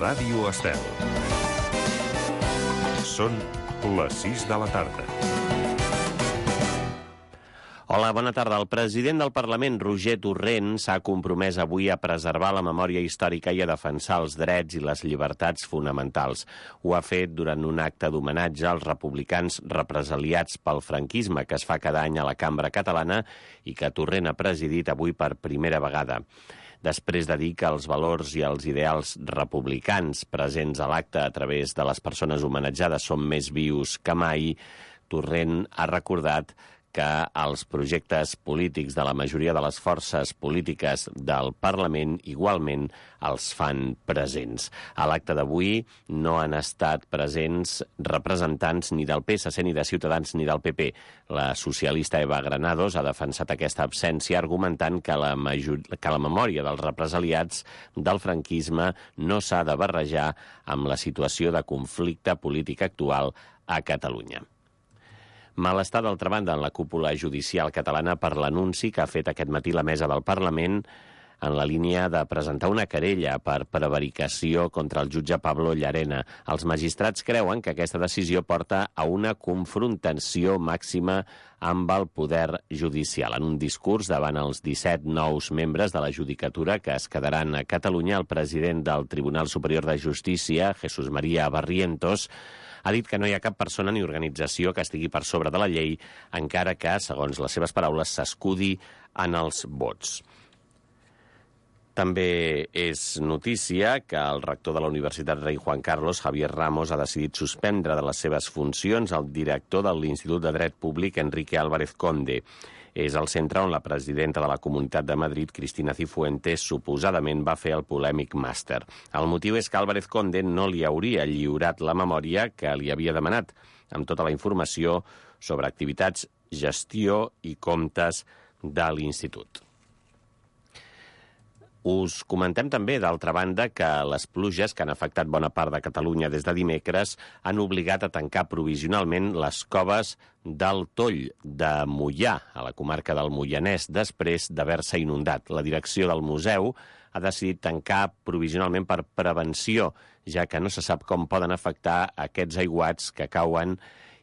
Ràdio Estel. Són les 6 de la tarda. Hola, bona tarda. El president del Parlament, Roger Torrent, s'ha compromès avui a preservar la memòria històrica i a defensar els drets i les llibertats fonamentals. Ho ha fet durant un acte d'homenatge als republicans represaliats pel franquisme que es fa cada any a la Cambra Catalana i que Torrent ha presidit avui per primera vegada. Després de dir que els valors i els ideals republicans presents a l'acte a través de les persones homenatjades són més vius que mai, Torrent ha recordat que els projectes polítics de la majoria de les forces polítiques del Parlament igualment els fan presents. A l'acte d'avui no han estat presents representants ni del PSC, ni de Ciutadans, ni del PP. La socialista Eva Granados ha defensat aquesta absència argumentant que la memòria dels represaliats del franquisme no s'ha de barrejar amb la situació de conflicte polític actual a Catalunya. Malestar, d'altra banda, en la cúpula judicial catalana per l'anunci que ha fet aquest matí la mesa del Parlament en la línia de presentar una querella per prevaricació contra el jutge Pablo Llarena. Els magistrats creuen que aquesta decisió porta a una confrontació màxima amb el poder judicial. En un discurs davant els 17 nous membres de la judicatura que es quedaran a Catalunya, el president del Tribunal Superior de Justícia, Jesús María Barrientos, ha dit que no hi ha cap persona ni organització que estigui per sobre de la llei, encara que, segons les seves paraules, s'escudi en els vots. També és notícia que el rector de la Universitat Rei Juan Carlos, Javier Ramos, ha decidit suspendre de les seves funcions el director de l'Institut de Dret Públic, Enrique Álvarez Conde. És el centre on la presidenta de la Comunitat de Madrid, Cristina Cifuentes, suposadament va fer el polèmic màster. El motiu és que Álvarez Conde no li hauria lliurat la memòria que li havia demanat, amb tota la informació sobre activitats, gestió i comptes de l'Institut. Us comentem també, d'altra banda, que les pluges que han afectat bona part de Catalunya des de dimecres han obligat a tancar provisionalment les coves del Toll de Moià, a la comarca del Moianès, després d'haver-se inundat. La direcció del museu ha decidit tancar provisionalment per prevenció, ja que no se sap com poden afectar aquests aiguats que cauen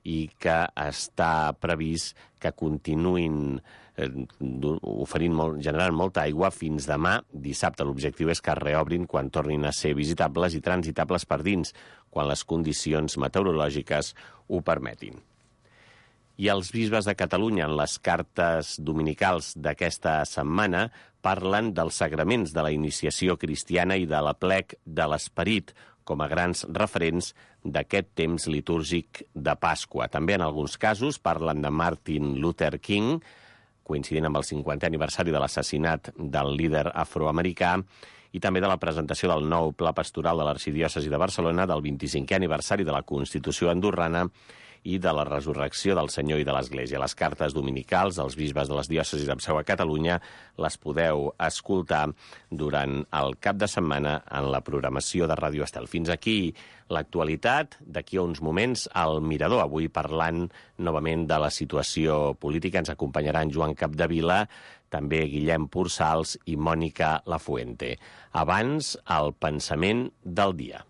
i que està previst que continuïn generant molta aigua fins demà, dissabte. L'objectiu és que es reobrin quan tornin a ser visitables i transitables per dins, quan les condicions meteorològiques ho permetin. I els bisbes de Catalunya, en les cartes dominicals d'aquesta setmana, parlen dels sagraments de la iniciació cristiana i de l'aplec de l'esperit, com a grans referents d'aquest temps litúrgic de Pasqua. També, en alguns casos, parlen de Martin Luther King, coincidint amb el 50è aniversari de l'assassinat del líder afroamericà, i també de la presentació del nou Pla Pastoral de l'Arxidiòcesi de Barcelona, del 25è aniversari de la Constitució andorrana i de la resurrecció del Senyor i de l'Església. Les cartes dominicals dels bisbes de les diòcesis amb seu a Catalunya les podeu escoltar durant el cap de setmana en la programació de Ràdio Estel. Fins aquí l'actualitat. D'aquí a uns moments, al Mirador, avui parlant novament de la situació política. Ens acompanyaran Joan Capdevila, també Guillem Pursals i Mònica Lafuente. Abans, el pensament del dia.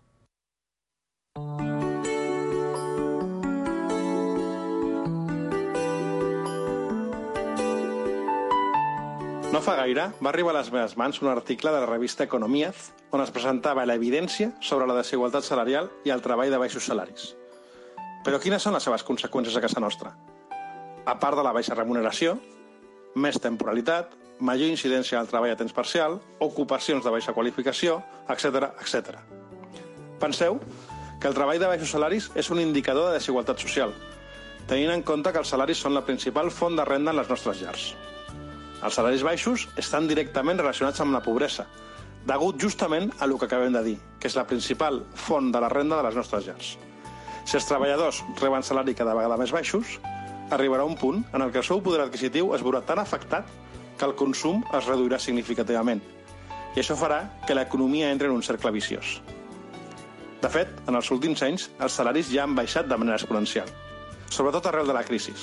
No fa gaire va arribar a les meves mans un article de la revista Economíaz on es presentava l'evidència sobre la desigualtat salarial i el treball de baixos salaris. Però quines són les seves conseqüències a casa nostra? A part de la baixa remuneració, més temporalitat, major incidència del treball a temps parcial, ocupacions de baixa qualificació, etc. etc. Penseu que el treball de baixos salaris és un indicador de desigualtat social, tenint en compte que els salaris són la principal font de renda en les nostres llars. Els salaris baixos estan directament relacionats amb la pobresa, degut justament a el que acabem de dir, que és la principal font de la renda de les nostres llars. Si els treballadors reben salari cada vegada més baixos, arribarà un punt en el que el seu poder adquisitiu es veurà tan afectat que el consum es reduirà significativament. I això farà que l'economia entri en un cercle viciós. De fet, en els últims anys, els salaris ja han baixat de manera exponencial, sobretot arrel de la crisi.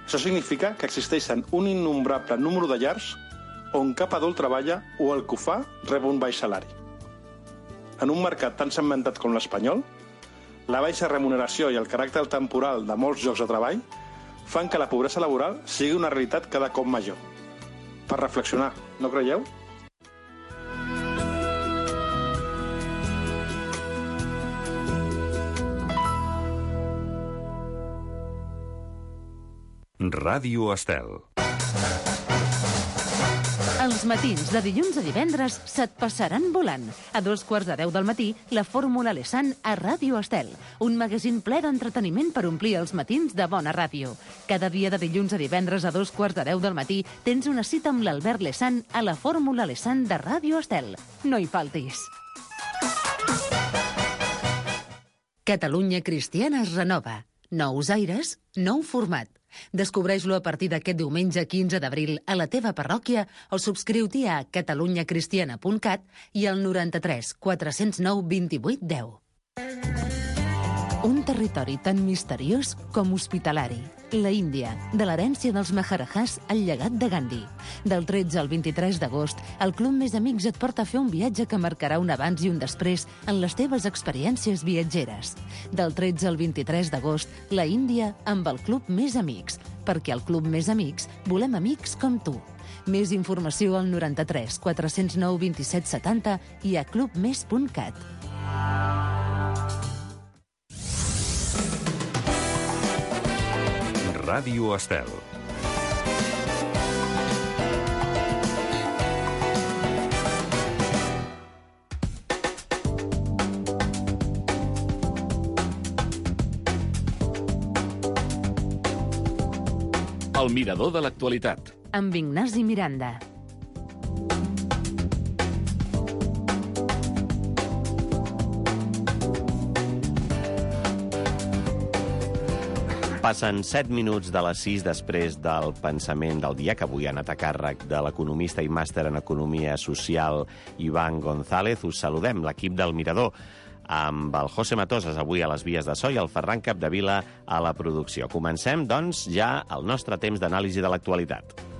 Això significa que existeixen un innombrable número de llars on cap adult treballa o el que ho fa rep un baix salari. en un mercat tan segmentat com l'espanyol, la baixa remuneració i el caràcter temporal de molts llocs de treball fan que la pobresa laboral sigui una realitat cada cop major. Per reflexionar, no creieu? Ràdio Estel. Els matins de dilluns a divendres se't passaran volant. A 2:15 del matí, la Fórmula Lesan a Ràdio Estel. Un magazín ple d'entreteniment per omplir els matins de bona ràdio. Cada dia de dilluns a divendres a 2:15 del matí tens una cita amb l'Albert Lesan a la Fórmula Lesan de Ràdio Estel. No hi faltis. Catalunya Cristiana es renova. Nous aires, nou format. Descobreix-lo a partir d'aquest diumenge 15 d'abril a la teva parròquia o subscriu-t'hi a catalunyacristiana.cat i al 93 409 28 10. Un territori tan misteriós com hospitalari. La Índia, de l'herència dels Maharajahs al llegat de Gandhi. Del 13 al 23 d'agost, el Club Més Amics et porta a fer un viatge que marcarà un abans i un després en les teves experiències viatgeres. Del 13 al 23 d'agost, la Índia amb el Club Més Amics, perquè al Club Més Amics volem amics com tu. Més informació al 93 409 27 70 i a clubmes.cat. Ràdio Estel. El mirador de l'actualitat. Amb Ignasi Miranda. Passen 7 minuts de les 6 després del pensament del dia, que avui ha anat a càrrec de l'economista i màster en Economia Social Iván González. Us saludem, l'equip del Mirador, amb el José Matosas avui a les vies de so i el Ferran Capdevila a la producció. Comencem, doncs, ja el nostre temps d'anàlisi de l'actualitat.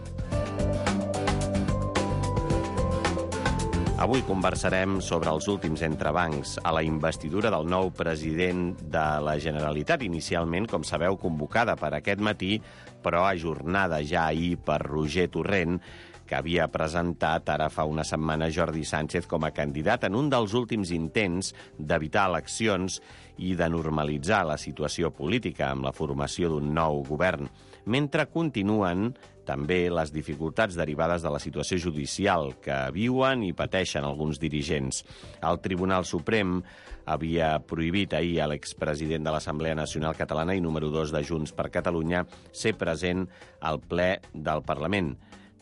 Avui conversarem sobre els últims entrebancs a la investidura del nou president de la Generalitat, inicialment, com sabeu, convocada per aquest matí, però ajornada ja ahir per Roger Torrent, que havia presentat ara fa una setmana Jordi Sánchez com a candidat en un dels últims intents d'evitar eleccions i de normalitzar la situació política amb la formació d'un nou govern, mentre continuen també les dificultats derivades de la situació judicial que viuen i pateixen alguns dirigents. El Tribunal Suprem havia prohibit ahir a l'expresident de l'Assemblea Nacional Catalana i número 2 de Junts per Catalunya ser present al ple del Parlament,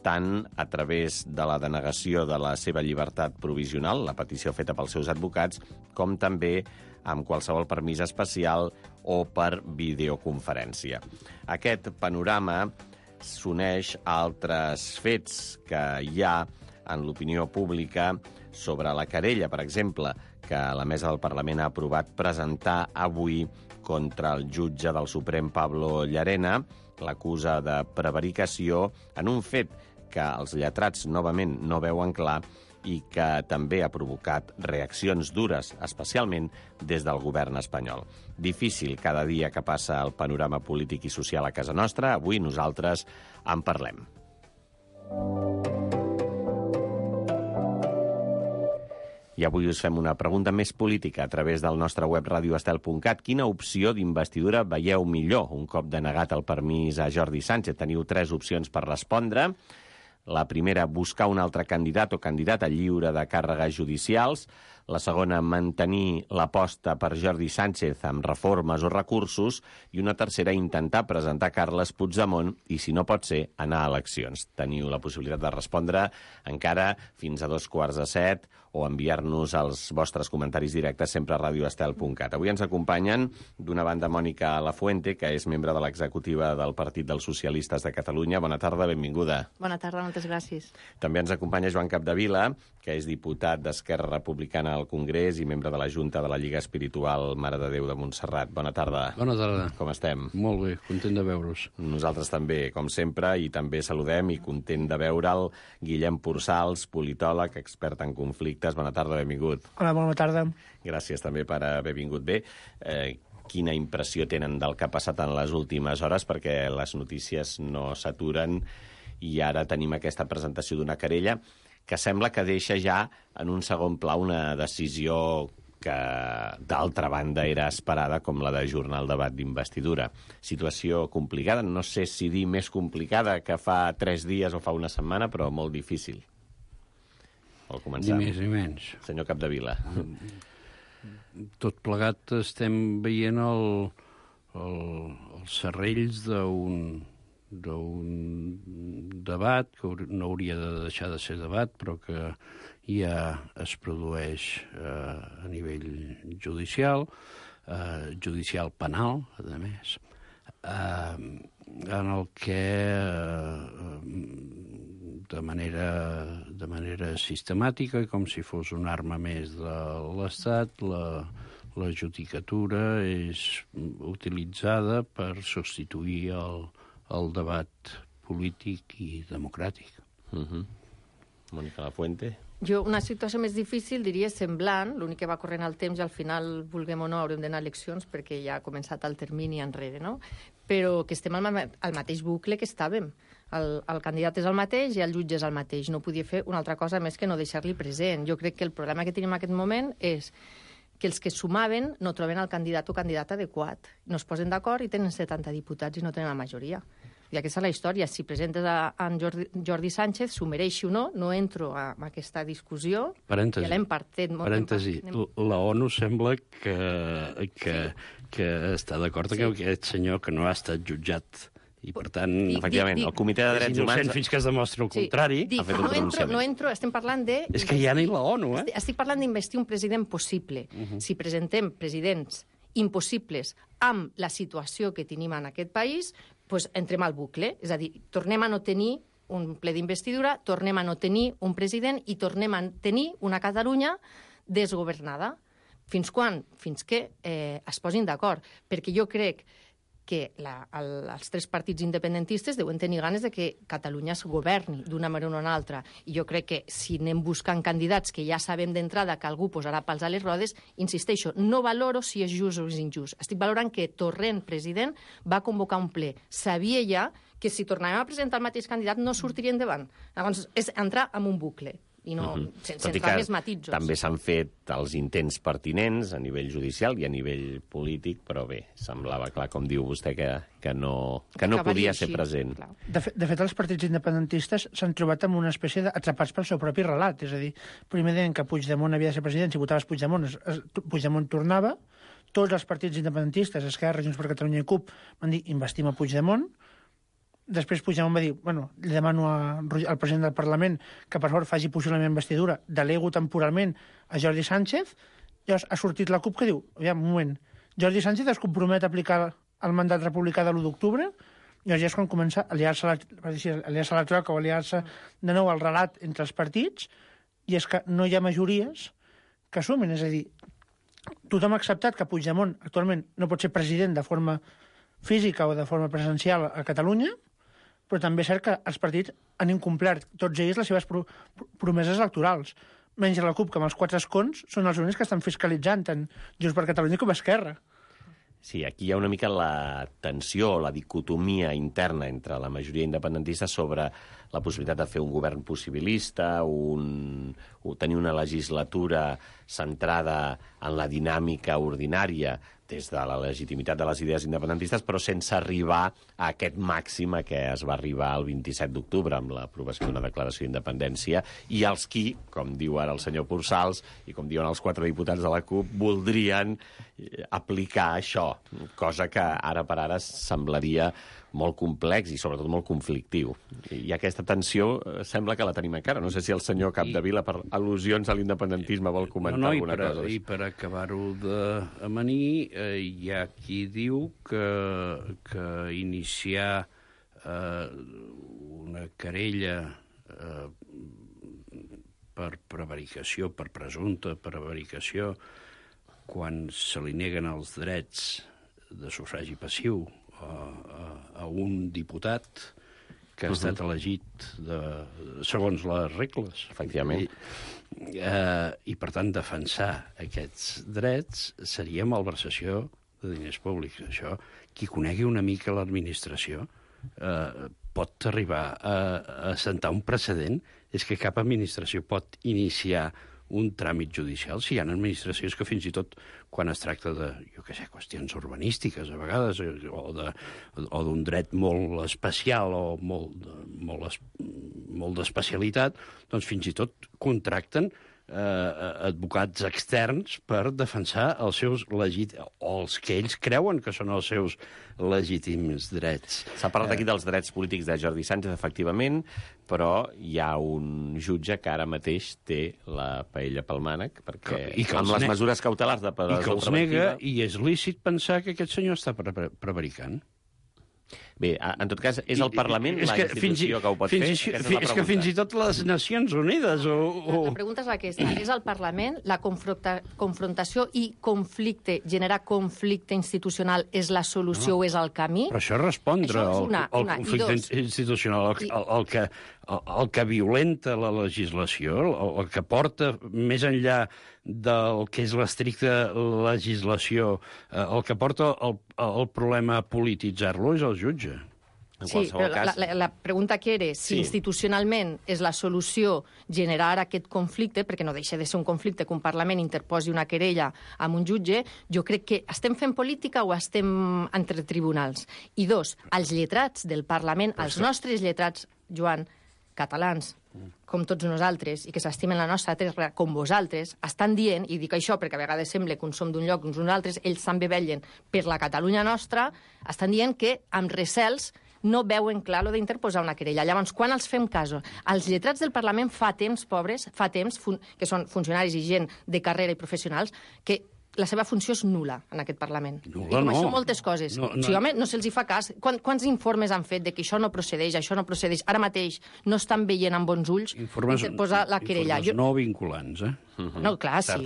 tant a través de la denegació de la seva llibertat provisional, la petició feta pels seus advocats, com també amb qualsevol permís especial o per videoconferència. Aquest panorama s'uneix a altres fets que hi ha en l'opinió pública sobre la querella, per exemple, que la Mesa del Parlament ha aprovat presentar avui contra el jutge del Suprem Pablo Llarena, l'acusa de prevaricació en un fet que els lletrats novament no veuen clar i que també ha provocat reaccions dures, especialment des del govern espanyol. Difícil cada dia que passa el panorama polític i social a casa nostra. Avui nosaltres en parlem. I avui us fem una pregunta més política a través del nostre web radioestel.cat. Quina opció d'investidura veieu millor un cop denegat el permís a Jordi Sánchez? Teniu 3 opcions per respondre. La primera, buscar un altre candidat o candidata lliure de càrregues judicials. La segona, mantenir l'aposta per Jordi Sánchez amb reformes o recursos. I una tercera, intentar presentar Carles Puigdemont i, si no pot ser, anar a eleccions. Teniu la possibilitat de respondre encara fins a 2:15 o enviar-nos els vostres comentaris directes sempre a radioestel.cat. Avui ens acompanyen, d'una banda, Mònica Lafuente, que és membre de l'executiva del Partit dels Socialistes de Catalunya. Bona tarda, benvinguda. Bona tarda, moltes gràcies. També ens acompanya Joan Capdevila, que és diputat d'Esquerra Republicana al Congrés i membre de la Junta de la Lliga Espiritual Mare de Déu de Montserrat. Bona tarda. Bona tarda. Com estem? Molt bé, content de veure's. Nosaltres també, com sempre, i també saludem i content de veure'l Guillem Pursals, politòleg, expert en conflictes. Bona tarda, benvingut. Hola, bona tarda. Gràcies també per haver vingut bé. Quina impressió tenen del que ha passat en les últimes hores, perquè les notícies no s'aturen i ara tenim aquesta presentació d'una querella que sembla que deixa ja en un segon pla una decisió que, d'altra banda, era esperada, com la d'ajornar el debat d'investidura. Situació complicada, no sé si dir més complicada que fa 3 dies o fa una setmana, però molt difícil. Vol començar? Ni més ni menys. Senyor Capdevila. Tot plegat estem veient els serrells d'un debat que no hauria de deixar de ser debat, però que ja es produeix a nivell judicial, judicial penal, a més, en el que de manera sistemàtica, com si fos una arma més de l'Estat, la judicatura és utilitzada per substituir el debat polític i democràtic. Mònica Lafuente. Jo, una situació més difícil, diria semblant, l'únic que va corrent el temps i al final, vulguem o no, haurem d'anar a eleccions perquè ja ha començat el termini enrere, no? Però que estem al mateix bucle que estàvem. El candidat és el mateix i el jutge és el mateix. No podia fer una altra cosa més que no deixar-li present. Jo crec que el problema que tenim en aquest moment és que els que sumaven no troben el candidat o candidata adequat. No es posen d'acord i tenen 70 diputats i no tenen la majoria. I aquesta és la història. Si presentes en Jordi Sánchez, s'ho mereixi o no, no entro en aquesta discussió. Parèntesi. Ja l'hem partit molt. Parèntesi. La ONU sembla que està d'acord que aquest senyor que no ha estat jutjat i, per tant, efectivament, el Comitè de Drets Humans fins que es demostri el contrari. Ha fet un pronunciament. No entro, estem parlant de... És que ja ni la ONU, Estic parlant d'investir un president possible. Si presentem presidents impossibles amb la situació que tenim en aquest país, doncs entrem al bucle. És a dir, tornem a no tenir un ple d'investidura, tornem a no tenir un president i tornem a tenir una Catalunya desgovernada. Fins quan? Fins que es posin d'acord. Perquè jo crec que els 3 partits independentistes deuen tenir ganes de que Catalunya es governi d'una manera o una altra. I jo crec que si anem buscant candidats que ja sabem d'entrada que algú posarà pals a les rodes, insisteixo, no valoro si és just o és injust. Estic valorant que Torrent, president, va convocar un ple. Sabia ja que si tornàvem a presentar el mateix candidat no sortiria endavant. Llavors, és entrar en un bucle i no, sense entrar més matisos. També s'han fet els intents pertinents a nivell judicial i a nivell polític, però bé, semblava clar, com diu vostè, que no podia ser present. De fet, els partits independentistes s'han trobat amb una espècie d'atrapats pel seu propi relat. És a dir, primer deien que Puigdemont havia de ser president, si votaves Puigdemont, Puigdemont tornava. Tots els partits independentistes, Esquerra, Junts per Catalunya i CUP, van dir investim a Puigdemont. Després Puigdemont va dir, li demano al president del Parlament que per favor faci possible la meva investidura, delego temporalment a Jordi Sánchez. Llavors ha sortit la CUP que diu, aviam, un moment, Jordi Sánchez es compromet a aplicar el mandat republicà de l'1 d'octubre, llavors ja és quan comença a aliar-se a la troca o aliar-se de nou al relat entre els partits, i és que no hi ha majories que assumin, és a dir, tothom ha acceptat que Puigdemont actualment no pot ser president de forma física o de forma presencial a Catalunya, però també és cert que els partits han incomplert tots ells les seves promeses electorals. Menys la CUP, que amb els 4 escons són els únics que estan fiscalitzant tant Junts per Catalunya com Esquerra. Sí, aquí hi ha una mica la tensió, la dicotomia interna entre la majoria independentista sobre la possibilitat de fer un govern possibilista, tenir una legislatura centrada en la dinàmica ordinària des de la legitimitat de les idees independentistes, però sense arribar a aquest màxim a què es va arribar el 27 d'octubre amb l'aprovació d'una declaració d'independència, i els qui, com diu ara el senyor Pursals, i com diuen els 4 diputats de la CUP, voldrien aplicar això, cosa que ara per ara semblaria molt complex i sobretot molt conflictiu. I aquesta tensió sembla que la tenim encara. No sé si el senyor Capdevila, per al·lusions a l'independentisme, vol comentar alguna cosa. I per acabar-ho d'amanir, hi ha qui diu que iniciar una querella per prevaricació, per presumpta prevaricació, quan se li neguen els drets de sufragi passiu a un diputat que ha estat elegit segons les regles. Efectivament. I, per tant, defensar aquests drets seria malversació de diners públics. Això, qui conegui una mica l'administració pot arribar a assentar un precedent. És que cap administració pot iniciar un tràmit judicial si hi ha administracions que fins i tot quan es tracta de, jo què sé, qüestions urbanístiques a vegades, o d'un dret molt especial o molt d'especialitat, doncs fins i tot contracten advocats externs per defensar els seus o els que ells creuen que són els seus legítims drets. S'ha parlat aquí dels drets polítics de Jordi Sánchez, efectivament, però hi ha un jutge que ara mateix té la paella pel mànec, perquè amb les mesures cautelars de presó preventiva... I que els nega, i és lícit pensar que aquest senyor està prevaricant. Bé, en tot cas, és el Parlament la institució que ho pot fer? És que fins i tot les Nacions Unides... La pregunta és aquesta. És el Parlament la confrontació i conflicte, generar conflicte institucional és la solució o és el camí? Però això és respondre al conflicte institucional, el que violenta la legislació, el que porta més enllà del que és l'estricta legislació, el que porta el problema a polititzar-lo és el jutge. Sí, però la pregunta que era si institucionalment és la solució generar aquest conflicte, perquè no deixa de ser un conflicte que un Parlament interposi una querella amb un jutge, jo crec que estem fent política o estem entre tribunals. I dos, els lletrats del Parlament, els nostres lletrats, Joan, catalans, com tots nosaltres, i que s'estimen la nostra terra com vosaltres, estan dient, i dic això perquè a vegades sembla que uns som d'un lloc, uns altres, ells també vetllen per la Catalunya nostra, estan dient que amb recels no veuen clar lo d'interposar una querella. Llavors, quan els fem cas? Els lletrats del Parlament fa temps, pobres, que són funcionaris i gent de carrera i professionals, que la seva funció és nul·la en aquest Parlament. Nul·la, no. Això moltes coses. Sí, home, no se'ls fa cas. Quants informes han fet de que això no procedeix, això no procedeix? Ara mateix no estan veient amb bons ulls interposar la querella. Informes no vinculants, No, clar, sí.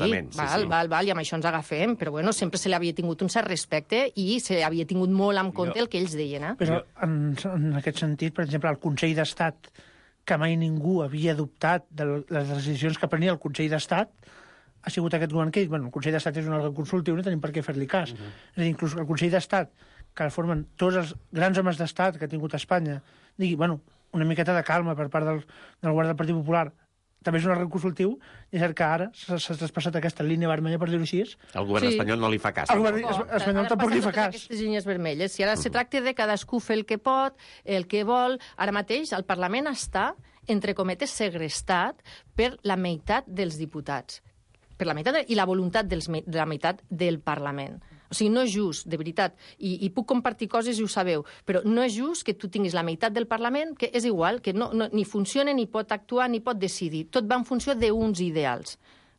Val, i amb això ens agafem, però bueno, sempre se li havia tingut un cert respecte i se li havia tingut molt en compte el que ells deien. Però en aquest sentit, per exemple, el Consell d'Estat, que mai ningú havia adoptat de les decisions que prenia el Consell d'Estat, ha sigut aquest govern que, el Consell d'Estat és un òrgan consultiu, no tenim per què fer-li cas. És a dir, inclús el Consell d'Estat, que formen tots els grans homes d'Estat que ha tingut Espanya, digui, una miqueta de calma per part del govern del Partit Popular, també és un òrgan consultiu, i és cert que ara s'ha traspassat aquesta línia vermella, per dir-ho així. El govern espanyol no li fa cas. El govern espanyol tampoc li fa cas. Aquestes línies vermelles. Si ara se tracta de cadascú fer el que pot, el que vol, ara mateix el Parlament està, entre cometes, segrestat per la meitat dels diputats. Per la meitat i la voluntat de la meitat del Parlament. O sigui, no és just, de veritat, i puc compartir coses i ho sabeu, però no és just que tu tinguis la meitat del Parlament, que és igual, que ni funciona, ni pot actuar, ni pot decidir. Tot va en funció d'uns ideals.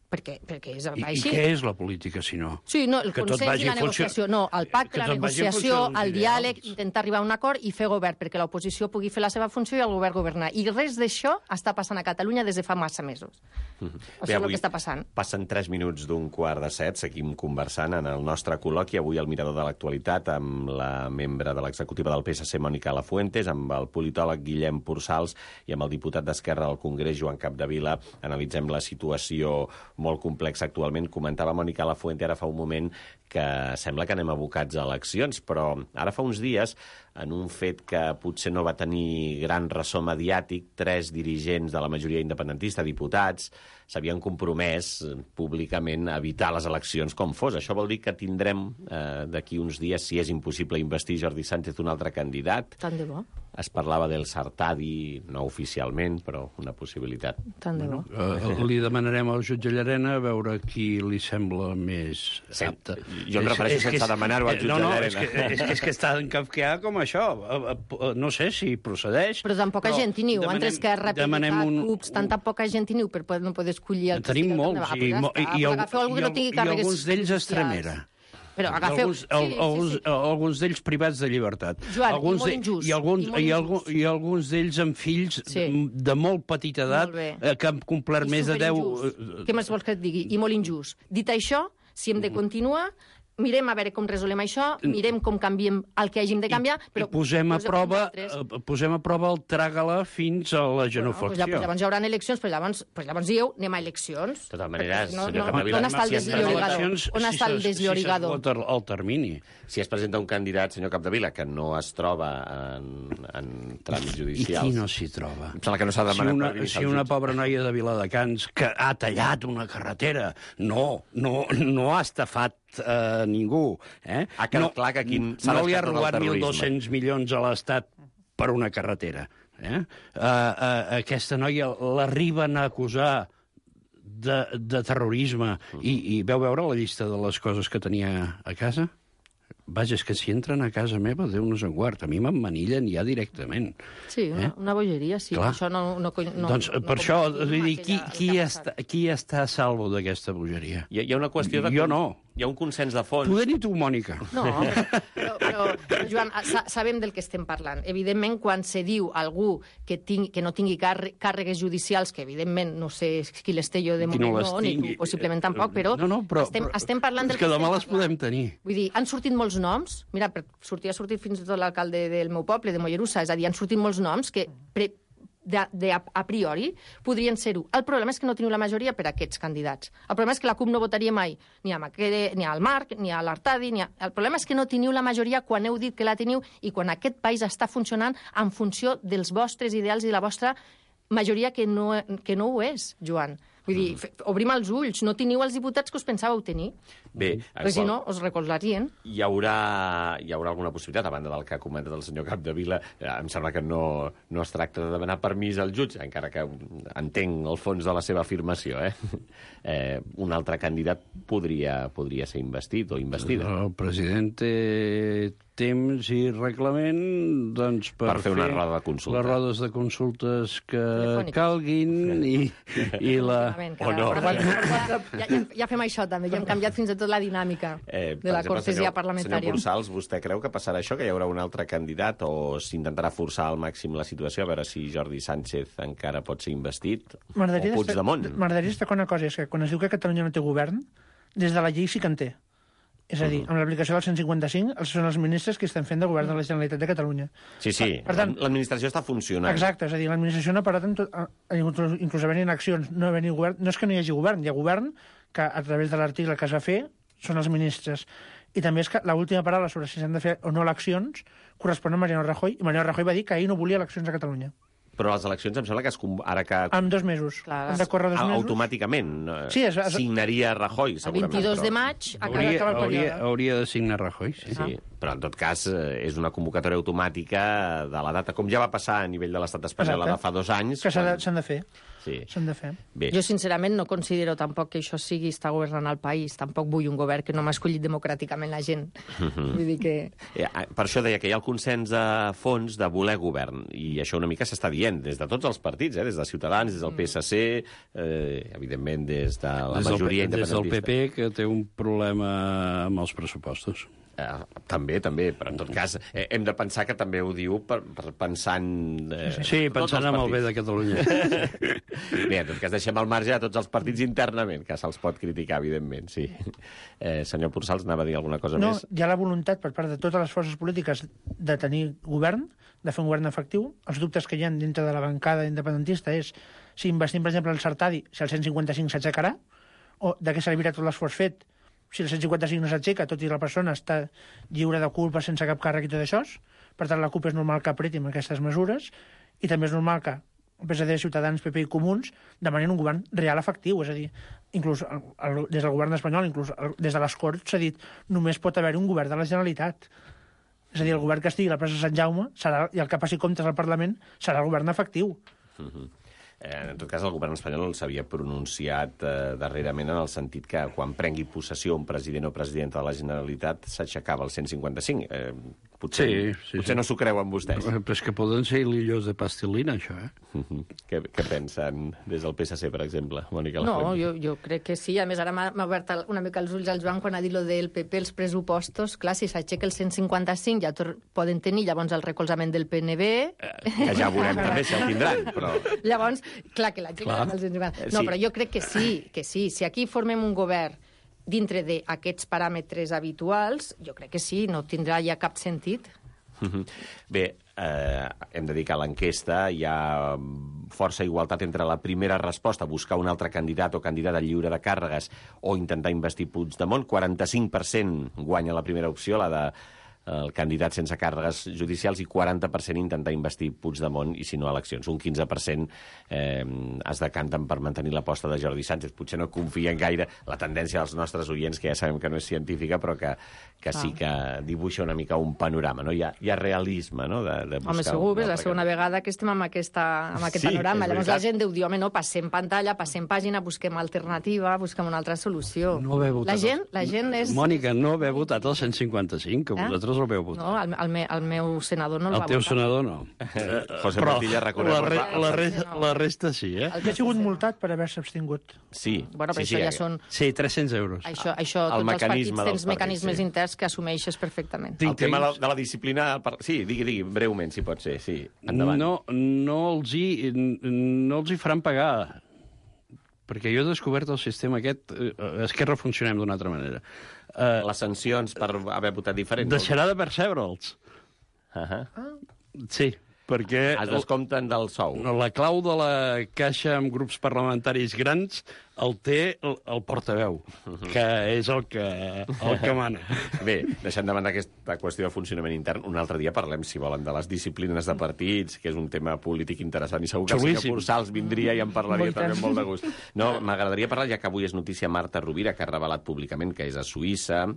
Perquè és així. I què és la política, si no? Sí, no, el consens i la negociació. No, el pacte, la negociació, el diàleg, intentar arribar a un acord i fer govern, perquè l'oposició pugui fer la seva funció i el govern governar. I res d'això està passant a Catalunya des de fa massa mesos. Això és el que està passant. Passen 3 minuts d'un 6:15, seguim conversant en el nostre col·loqui, avui al Mirador de l'Actualitat, amb la membre de l'executiva del PSC, Mònica Lafuentes, amb el politòleg Guillem Pursals i amb el diputat d'Esquerra al Congrés, Joan Capdevila. Analitzem la situació molt complex actualment. Comentava Mònica Lafuente ara fa un moment que sembla que anem abocats a eleccions, però ara fa uns dies, en un fet que potser no va tenir gran ressò mediàtic, 3 dirigents de la majoria independentista, diputats, s'havien compromès públicament a evitar les eleccions com fos. Això vol dir que tindrem d'aquí uns dies, si és impossible investir Jordi Sánchez, un altre candidat. Tant de bo. Es parlava del Sartadi, no oficialment, però una possibilitat. Tant de bo. Li demanarem al jutge Llarena a veure qui li sembla més apte. Jo em refereixo sense demanar-ho al jutge Llarena. És que està en kafkià com això. No sé si procedeix. Però tan poca gent hi niu. Entre Esquerra, PDeCAT, CUPs, tanta poca gent hi niu per no poder escollir el que tenim molts. I alguns d'ells Estremera. Però agafeu... Alguns d'ells privats de llibertat. Joan, i molt injust. I alguns d'ells amb fills de molt petita edat que han complert més de 10... Què més vols que et digui? I molt injust. Dit això, si hem de continuar, mirem a veure com resolem això, mirem com canviem el que hàgim de canviar, però... I posem a prova el tràgala fins a la genuflexió. Pues llavors hi haurà eleccions, però llavors dieu, anem a eleccions. De totes maneres, senyor Capdevila... On està el desllorigador? On està el desllorigador? Si s'esgota el termini. Si es presenta un candidat, senyor Capdevila, que no es troba en tràmits judicials... I qui no s'hi troba? Em sembla que no s'ha demanat per Si una pobra noia de Viladecans que ha tallat una carretera, no ha estafat ningú. Ha quedat clar que aquí s'ha no li ha descartat el robat terrorisme. 1.200 milions a l'Estat per una carretera. Aquesta noia l'arriben a acusar de terrorisme i veu veure la llista de les coses que tenia a casa? Vaja, és que si entren a casa meva, Déu-nos en guard. A mi m'emmanillen ja directament. Sí, una bogeria, sí. Clar. Això no Doncs per això, qui està a salvo d'aquesta bogeria? Hi ha una qüestió de... Jo no. Hi ha un consens de fons. Poder ni tu, Mònica. No, però Joan, sabem del que estem parlant. Evidentment, quan se diu algú que no tingui càrregues judicials, que evidentment no sé qui les té jo de moment, ni tu possiblement tampoc, però estem parlant del que demà les podem tenir. Vull dir, han sortit molts noms, mira, ha sortit fins i tot l'alcalde del meu poble, de Mollerussa, és a dir, han sortit molts noms que a priori podrien ser-ho. El problema és que no teniu la majoria per a aquests candidats. El problema és que la CUP no votaria mai ni al Marc, ni a l'Artadi, El problema és que no teniu la majoria quan heu dit que la teniu i quan aquest país està funcionant en funció dels vostres ideals i de la vostra majoria que no ho és, Joan. Vull dir, obrim els ulls, no teniu els diputats que us pensàveu tenir. Bé, perquè si no, us recolzarien. Hi haurà alguna possibilitat, a banda del que ha comentat el senyor Capdevila. Em sembla que no es tracta de demanar permís al jutge, encara que entenc el fons de la seva afirmació. Un altre candidat podria ser investit o investida. El president té temps i reglament doncs, per fer una roda de consulta. Les rodes de consultes que calguin i la... O no. Ja fem això també, ja hem canviat fins i tot la dinàmica de la cortesia parlamentària. Senyor Pursals, vostè creu que passarà això, que hi haurà un altre candidat, o s'intentarà forçar al màxim la situació, a veure si Jordi Sánchez encara pot ser investit, o Puigdemont? M'agradaria destacar una cosa, és que quan es diu que Catalunya no té govern, des de la llei sí que en té. És a dir, amb l'aplicació del 155, són els ministres que estan fent de govern de la Generalitat de Catalunya. Sí, l'administració està funcionant. Exacte, és a dir, l'administració no ha parat inclús havent-hi accions, no havent-hi govern. No és que no hi hagi govern, hi ha govern que a través de l'article que es va fer són els ministres. I també és que l'última paraula sobre si s'han de fer o no eleccions correspon a Mariano Rajoy, i Mariano Rajoy va dir que ell no volia eleccions a Catalunya. Però les eleccions em sembla que ara que... En 2 mesos. Han de córrer 2 mesos. Automàticament. Signaria Rajoy, segurament. El 22 de maig acaba el període. Hauria de signar Rajoy, sí. Però en tot cas és una convocatòria automàtica de la data, com ja va passar a nivell de l'estat espanyol de fa 2 anys. Que s'han de fer. Sí. S'han de fer. Bé. Jo, sincerament, no considero tampoc que això està governant el país. Tampoc vull un govern que no m'ha escollit democràticament la gent. Vull dir que... Per això deia que hi ha el consens de fons de voler govern, i això una mica s'està dient des de tots els partits, des de Ciutadans, des del PSC, evidentment des de la majoria independentista. Des del PP, que té un problema amb els pressupostos. També, però en tot cas hem de pensar que també ho diu pensant... pensant en el bé de Catalunya. Bé, en tot cas deixem al marge a tots els partits internament, que se'ls pot criticar, evidentment, sí. Senyor Pursals, anava a dir alguna cosa més? No, hi ha la voluntat per part de totes les forces polítiques de tenir govern, de fer un govern efectiu. Els dubtes que hi ha dintre de la bancada independentista és si investim, per exemple, el Sartadi, si el 155 s'aixecarà, o de què servirà tot l'esforç fet si el 155 no s'aixeca, tot i la persona està lliure de culpa sense cap càrrec i tot això. Per tant, la CUP és normal que apreti amb aquestes mesures, i també és normal que PSD, Ciutadans, PP i Comuns demanin un govern real efectiu. És a dir, inclús des del govern espanyol, inclús des de les Corts, s'ha dit només pot haver-hi un govern de la Generalitat. És a dir, el govern que estigui a la plaça Sant Jaume i el que passi comptes al Parlament serà el govern efectiu. En tot cas, el govern espanyol s'havia pronunciat darrerament en el sentit que quan prengui possessió un president o presidenta de la Generalitat s'aixecava el 155. Potser no s'ho creuen vostès. Però és que poden ser hilillos de pastilina, això, Què pensen des del PSC, per exemple, Mònica No, Lafuente? jo crec que sí. A més, ara m'ha obert una mica els ulls al Joan quan ha dit lo del PP, els pressupostos. Clar, si s'aixeca el 155 ja poden tenir llavors el recolzament del PNB. Que ja veurem també si el tindran, però... Llavors, clar que l'aixequen el 155. No, però jo crec que sí. Si aquí formem un govern dintre d'aquests paràmetres habituals, jo crec que sí, no tindrà ja cap sentit. Bé, hem de dir que a l'enquesta hi ha força igualtat entre la primera resposta, buscar un altre candidat o candidata lliure de càrregues o intentar investir Puigdemont. 45% guanya la primera opció, la de el candidat sense càrregues judicials, i 40% intentar investir Puigdemont, i si no, eleccions. Un 15% es decanten per mantenir l'aposta de Jordi Sánchez. Potser no confien gaire la tendència dels nostres oients, que ja sabem que no és científica, però que sí que dibuixa una mica un panorama, no? Hi ha realisme, no?, de buscar... Home, segur, és la segona vegada que estem amb aquest panorama. Llavors la gent diu, home, no, passem pantalla, passem pàgina, busquem alternativa, busquem una altra solució. No haver votat... La gent és... Mònica, no haver votat el 155, que vosaltres el veu votar. No, el meu senador no el va votar. El teu senador no. José Montilla recorre... La resta sí, Que ha sigut multat per haver-se abstingut. Sí. Bueno, però això ja són... Sí, 300 euros. Això tots els partits tens mecanismes interns que assumeixes perfectament. El tema de la disciplina... Sí, digui, breument, si pot ser, sí. Endavant. No els hi faran pagar, perquè jo he descobert el sistema aquest... Esquerra funcionem d'una altra manera. Les sancions per haver votat diferent. Deixarà de percebre'ls. Sí, perquè... Es descompten del sou. La clau de la caixa amb grups parlamentaris grans el té el portaveu, que és el que mana. Bé, deixant de banda aquesta qüestió de funcionament intern, un altre dia parlem, si volen, de les disciplines de partits, que és un tema polític interessant, i segur que el senyor Cursals vindria i en parlaria també amb molt de gust. No, m'agradaria parlar, ja que avui és notícia, Marta Rovira, que ha revelat públicament que és a Suïssa,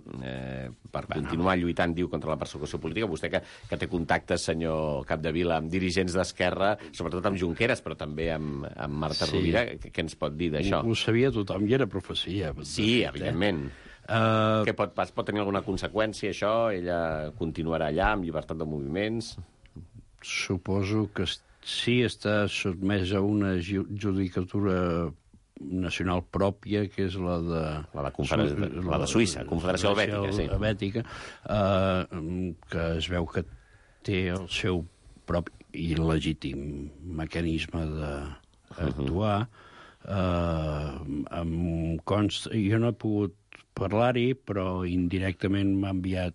per continuar lluitant, diu, contra la persecució política. Vostè que té contactes, senyor Capdevila, amb dirigents d'Esquerra, sobretot amb Junqueras, però també amb Marta Rovira, què ens pot dir d'això? Ho sabia tothom i era profecia. Sí, evidentment. Què pot tenir alguna conseqüència, això? Ella continuarà allà amb llibertat de moviments? Suposo que sí, està sotmès a una judicatura nacional pròpia, que és la de Suïssa, Confederació Helvètica, que es veu que té el seu propi i legítim mecanisme d'actuar. Jo no he pogut parlar-hi, però indirectament m'ha enviat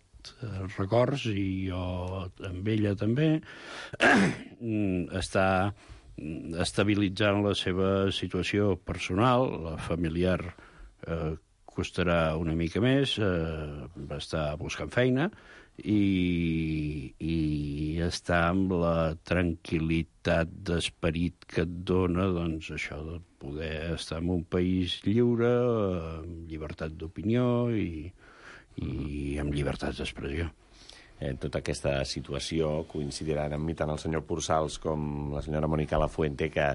records, i jo amb ella també. Està estabilitzant la seva situació personal, la familiar costarà una mica més, està buscant feina, i està amb la tranquil·litat d'esperit que et dona, doncs, això de poder estar en un país lliure, amb llibertat d'opinió i amb llibertat d'expressió. En tota aquesta situació coincidiran amb mi tant el senyor Cursals com la senyora Mònica Lafuente, que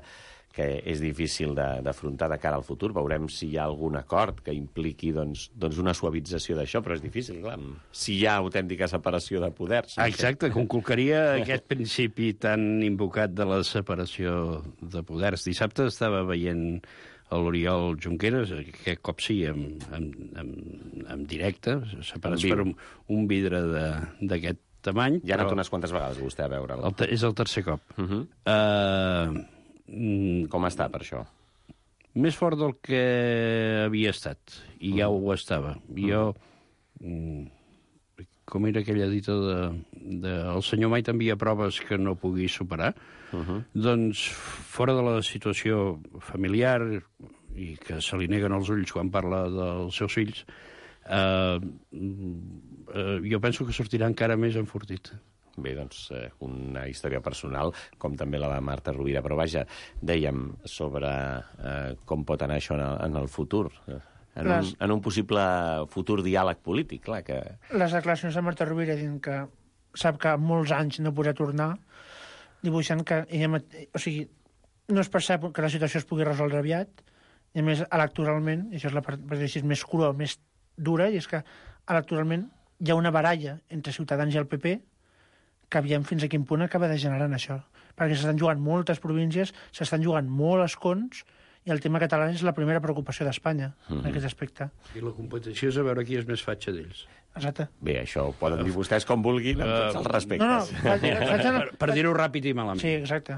és difícil d'afrontar de cara al futur. Veurem si hi ha algun acord que impliqui doncs, una suavització d'això, però és difícil, clar, si hi ha autèntica separació de poders. Exacte, conculcaria aquest principi tan invocat de la separació de poders. Dissabte estava veient l'Oriol Junqueras, aquest cop sí, en directe, separats per un vidre d'aquest tamany. Ja ha anat unes quantes vegades vostè a veure'l. És el tercer cop. Com està, per això? Més fort del que havia estat, i ja ho estava. Jo, com era aquella dita el senyor mai t'envia proves que no pugui superar, doncs fora de la situació familiar, i que se li neguen els ulls quan parla dels seus fills, jo penso que sortirà encara més enfortit. Bé, doncs, una història personal, com també la de Marta Rovira. Però vaja, dèiem sobre com pot anar això en el futur, en un possible futur diàleg polític, clar que... Les declaracions de Marta Rovira dient que sap que molts anys no podrà tornar, dibuixant que ella... O sigui, no es percep que la situació es pugui resoldre aviat, i a més, electoralment, i això és la part més crua, més dura, i és que electoralment hi ha una baralla entre Ciutadans i el PP que aviam fins a quin punt acaba degenerant això. Perquè s'estan jugant moltes províncies, s'estan jugant molt escons, i el tema català és la primera preocupació d'Espanya en aquest aspecte. I la competició és a veure qui és més fatxa d'ells. Exacte. Bé, això ho poden dir vostès com vulguin, amb tots els respectes. Per dir-ho ràpid i malament. Sí, exacte.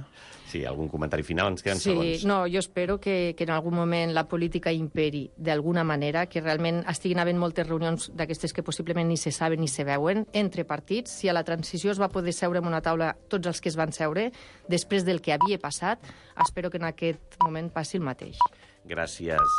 Sí, algun comentari final? Ens queden segons. Sí, no, jo espero que en algun moment la política imperi d'alguna manera, que realment estiguin havent moltes reunions d'aquestes que possiblement ni se saben ni se veuen entre partits. Si a la transició es va poder seure en una taula tots els que es van seure, després del que havia passat, espero que en aquest moment passi el mateix. Gràcies.